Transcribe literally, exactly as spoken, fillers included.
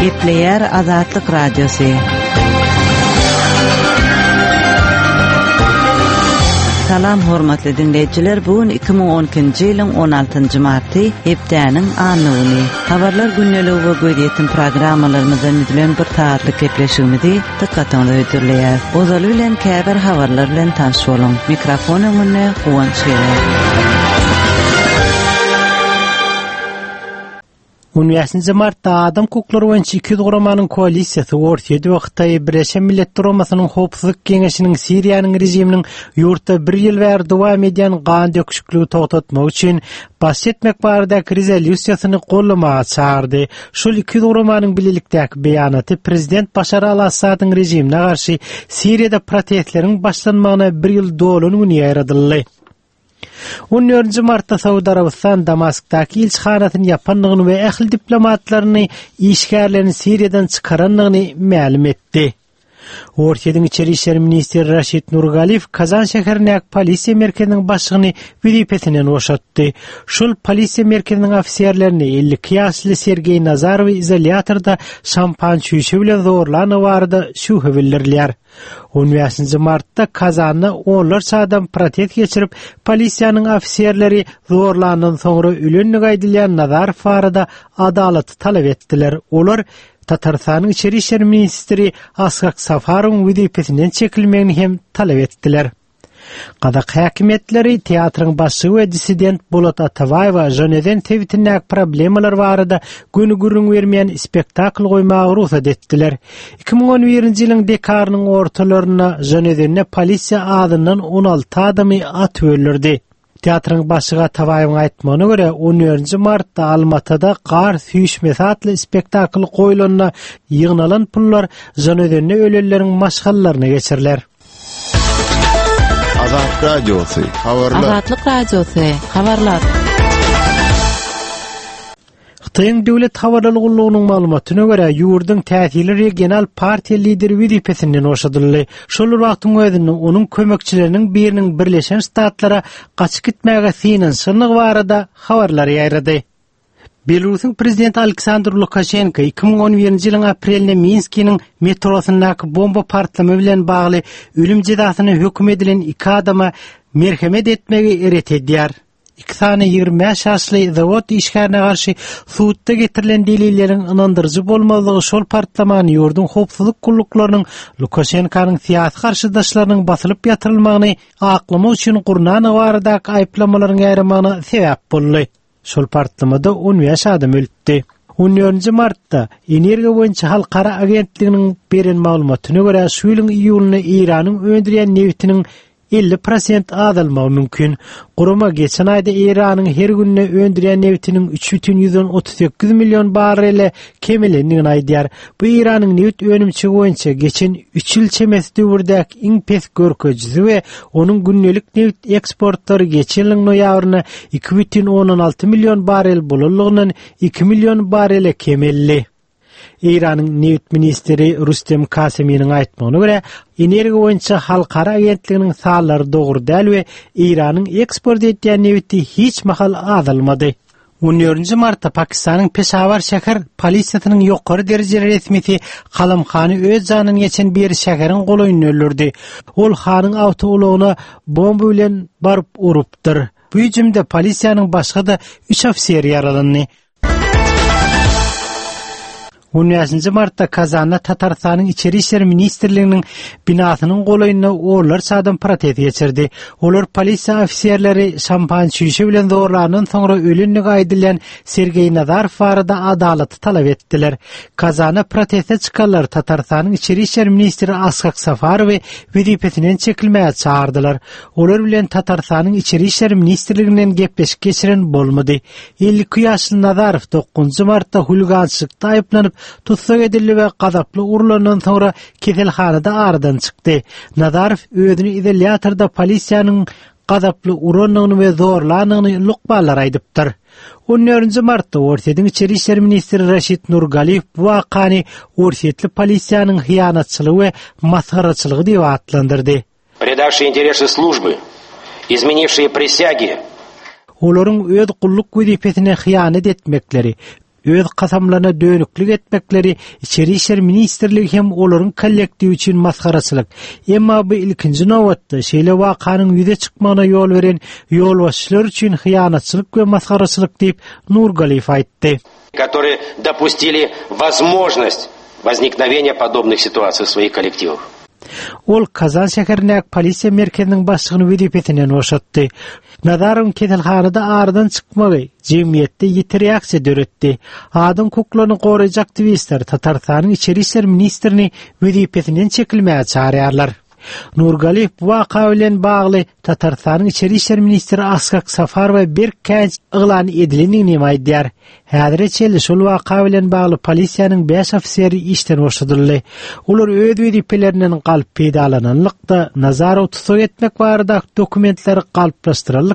Gepleýär Azatlyk Radiosy. Salam hormatly dinleýjiler, bu gün iki müň on ikinji ýylyň on altynjy marty, hepdäniň anna güni. Habarlar gündeligi we gözýetim programmalarymyzdan düzülen bir saatlyk gepleşigimizi dykgatyňyza hödürleýär. Ozaly bilen käbir habarlar bilen tanyş boluň. Mikrofon öňünde Guwanç Geler. On bäşinji martda adam hukuklary boýunça iki ýüz guramanyň koalisiýasy Orsýet we Hytaý Birleşen Milletler Guramasynyň Howpsuzlyk Geňeşiniň Siriýanyň režiminiň ýurtda bir ýyl bäri dowam edýän gan döküşikligi togtatmak üçin baş etmek baradaky rezolýusiýasyny gollamaga çagyrdy. Şol iki ýüz guramanyň bilelikdäki beýanaty prezident Başar al-Assadyň režimine garşy Siriýada protestleriň başlanmagyna bir ýyl dolan güni ýaýradyldy. On dördünji martda Saud Arabystan Damaskdaky ilçihanasyny ýapandygyny we ähli diplomatlaryny işgärlerini Siriýadan çykarandygyny mälim etdi. Orsýetiň İçeri İşler Ministri Raşid Nurgaliýew Kazan şäherindäki polisiýa merkeziniň başlygyny wezipesinden boşatdy. Şol polisiýa merkeziniň ofiserlerini elli iki ýaşly Sergeý Nazarowy izolýatorda şampan çüýşe bilen zorlany barada şübhe bildirilýär. On bäşinji martda Kazanda onlarça adam protest geçirip, polisiýanyň ofiserleri zorlandan soňra ölenligi aýdylýan Nazarow barada adalaty talap etdiler. Olar Tatarystanyň İçeri İşler Ministri Ashak Safarowyň wezipesinden çekilmegini hem talap etdiler. Gazak häkimiýetleri teatryň başlygy we dissident Bolat Atabaýewa Ženewen sebitindäki problemalar barada göni gürrüň bermeýän spektakl goýmaga rugsat etdiler. Iki müň on birinji ýylyň dekarynyň ortalarynda Ženewende polisiýa adyndan on alty adamy atyp öldürdi. Teatryň başlygy Atabaýewiň aýtmagyna görä on dördünji martda Almatada Gar süýşmesi atly spektakl goýulanda ýygnalan pullar Ženewende ölenleriň maşgalalaryna geçiriler. Azatlyk Radiosy, habarlar. Azatlyk Radiosy, habarlar. Hytaýyň döwlet habarlar gullugynyň maglumatyna görä, ýurduň täsirli regional partiýa lideri wezipesinden boşadyldy. Şol bir wagtyň özünde onuň kömekçileriniň biriniň Birleşen Ştatlara gaçyp gitmäge synanyşandygy barada habarlar ýaýrady. Belarusyň prezidenti Aleksandr Lukaşenko iki müň on birinji ýylyň aprelinde Minskiniň metrosyndaky bomba partlama bilen bagly ölüm jezasyna höküm edilen iki adama merhemet etmegi ret edýär. Iki sany ýigrimi bäş ýaşly zawod işgärine garşy sudda getirilen delilleriň ynandyryjy bolmazlygy şol partlamany ýurduň howpsuzlyk gulluklarynyň Lukaşenkanyň syýasy garşydaşlarynyň basylyp ýatyrylmagyny aklamak üçin gurnandygy baradaky aýyplamalaryň ýaýramagyna sebäp boldy. Şol partlamada on bäş adam ölüpdi. On dördünji martda Energiýa boýunça halkara agentliginiň beren maglumatyna görä, şu ýylyň iýulynda Eýranyň öndürýän nebitiniň elli prosent azalmagy mümkin. Gurama geçen aýda Eýranyň her günde öndürýän nebitiniň üç bütin ýüzden otuz sekiz million barrele kemelendigini aýdýar. Bu Eýranyň nebit önümçiligi boýunça geçen üç ýyl çemesi döwürdäki iň pes görkezijisi we onuň gündelik nebit eksportlary geçen ýylyň noýabrynda iki bütin ondan alty million barrel bolanlygyndan iki million barrele kemeldi. Eýranyň nebit ministri Rustem Kaseminiň aýtmagyna görä, energiýa boýunça halkara agentliginiň sanlary dogry däl we Eýranyň eksport edýän nebiti hiç mahal azalmady. On dördünji martda Pakistanyň Peşawar şäher polisiýasynyň ýokary derejeli resmisi Kalam Hany öz janyny geçen bir şäheriň golaýynda öldürdi. Ol Hanyň awtoulagyna bomba bilen baryp urupdyr. Bu hüjümde polisiýanyň başga-da üç ofiseri ýaralandy. On bäşinji martda Kazanda Tatarystanyň İçeri İşler Ministrliginiň binasynyň golaýynda onlarça adam protest geçirdi. Olar polisiýa ofiserleri şampan çüýşe bilen zorlandan soňra ölenligi aýdylýan Sergeý Nazarow barada adalaty talap etdiler. Kazana proteste çykanlar Tatarystanyň İçeri İşler Ministri Ashak Safarowy wezipesinden çekilmäge çağırdylar. Olar bilen Tatarystanyň İçeri İşler Ministrliginden gepleşik geçiren bolmady. Elli iki ýaşly Nazarow dokuzunjy martda huligançylykda aýyplanyp tussag edildi we gazaply urulandan soňra keselhanada aradan çykdy. Nazarow özüni izolýatorda polisiýanyň gazaply urandygyny we zorlandygyny lukmanlar aýdypdyr. On dördünji martda Orsýetiň İçeri İşler Ministri Raşid Nurgaliýew bu wakany Orsýetli polisiýanyň hyýanatçylygy we masgaraçylygy diýip atlandyrdy. Предавшие интересы службы, изменившие присяги, Olaryň öz gulluk wezipesine hyýanat etmekleri, Öz kasamlaryna dönüklük etmekleri İçeri İşler Ministrligi hem olaryň kollektiwi üçin masgaraçylyk. Emma bu ilkinji nobatda şeýle wakanyň ýüze çykmagyna ýol beren ýolbaşçylar üçin hyýanatçylyk we masgaraçylyk diýip Nurgaliýew aýtdy. Которые допустили возможность возникновения подобных ситуаций в своих коллективах. Ol Kazan şäherindäki polisiýa merkeziniň başlygyny wezipesinden boşatdy. Nazarowyň keselhanada aradan çykmagy jemgyýetde ýiti reaksiýa döretdi. Adam hukuklaryny goraýjy aktiwistler Tatarystanyň İçeri İşler ministrini wezipesinden çekilmäge çağırýarlar. Nurgaliýew bu waka bilen bagly Tatarystanyň İçeri İşler ministri Askak Safarowa berk käýinç yglan edilendigini aýdýar. Häzire çenli şol waka bilen bagly polisiýanyň beş ofiseri işden boşadyldy. Olar öz wezipelerinden galyp peýdalananlykda Nazarow tussag etmek barada dokumentleri galplaşdyryldy.